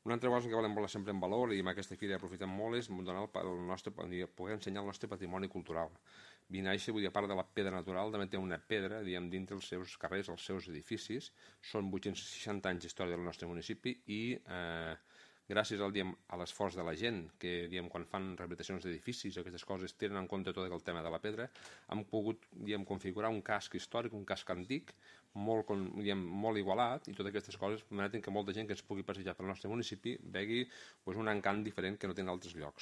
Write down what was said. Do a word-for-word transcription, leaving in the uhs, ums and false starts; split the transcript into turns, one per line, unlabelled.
Una altra cosa que volem posar sempre en valor, i amb aquesta fira aprofitem molt, és donar el, el nostre, poder ensenyar el nostre patrimoni cultural. Vinaixa, vull dir, a part de la pedra natural, també té una pedra, diguem, dintre els seus carrers, els seus edificis. Són vuit-cents seixanta anys d'història del nostre municipi i eh, gràcies al, diguem, a l'esforç de la gent, que diguem, quan fan rehabilitacions d'edificis o aquestes coses tenen en compte tot el tema de la pedra, hem pogut diguem, configurar un casc històric, un casc antic, molt, diguem, molt igualat, i totes aquestes coses permeten que molta gent que es pugui passejar pel nostre municipi vegi pues, un encant diferent que no té en altres llocs.